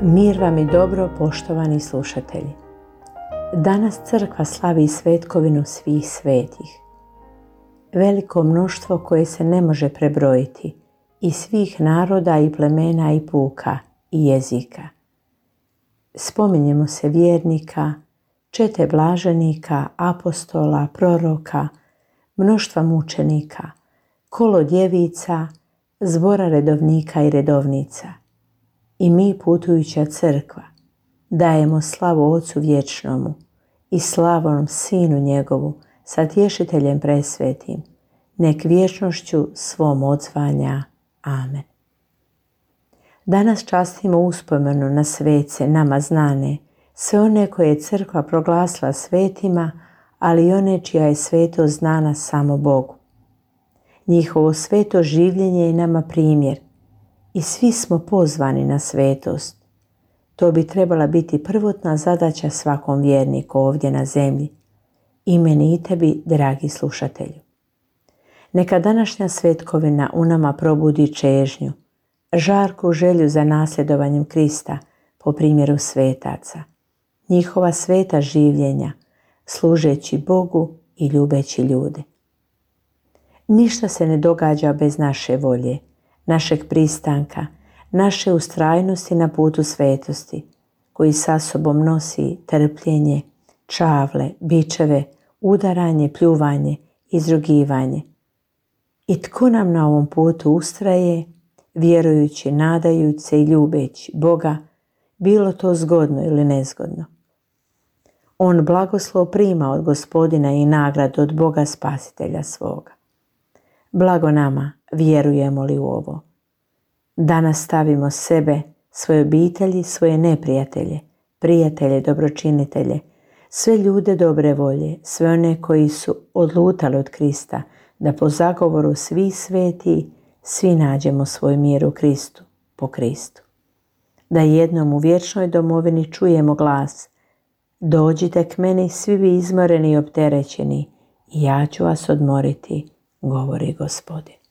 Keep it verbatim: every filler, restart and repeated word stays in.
Mir vam i dobro, poštovani slušatelji. Danas crkva slavi svetkovinu svih svetih. Veliko mnoštvo koje se ne može prebrojiti, i svih naroda i plemena i puka i jezika. Spominjemo se vjernika, čete blaženika, apostola, proroka, mnoštva mučenika, kolo djevica, zbora redovnika i redovnica. I mi, putujuća crkva, dajemo slavu Ocu vječnomu i slavom Sinu njegovu sa Tješiteljem presvetim, nek vječnošću svom odzvanja. Amen. Danas častimo uspomenu na svece nama znane, sve one koje je crkva proglasila svetima, ali i one čija je svetost znana samo Bogu. Njihovo sveto življenje je nama primjer i svi smo pozvani na svetost. To bi trebala biti prvotna zadaća svakom vjerniku ovdje na zemlji. I meni i tebi, dragi slušatelju. Neka današnja svetkovina u nama probudi čežnju, žarku želju za nasljedovanjem Krista po primjeru svetaca, njihova sveta življenja, služeći Bogu i ljubeći ljude. Ništa se ne događa bez naše volje, našeg pristanka, naše ustrajnosti na putu svetosti, koji sa sobom nosi trpljenje, čavle, bičeve, udaranje, pljuvanje, izrugivanje. I tko nam na ovom putu ustraje, vjerujući, nadajući se i ljubeći Boga, bilo to zgodno ili nezgodno. On blagoslov prima od Gospodina i nagradu od Boga Spasitelja svoga. Blago nama, vjerujemo li u ovo? Danas stavimo sebe, svoje obitelji, svoje neprijatelje, prijatelje, dobročinitelje, sve ljude dobre volje, sve one koji su odlutali od Krista, da po zagovoru svih sveti svi nađemo svoj mir u Kristu, po Kristu. Da jednom u vječnoj domovini čujemo glas: dođite k meni svi vi izmoreni i opterećeni, i ja ću vas odmoriti, govori Gospodin.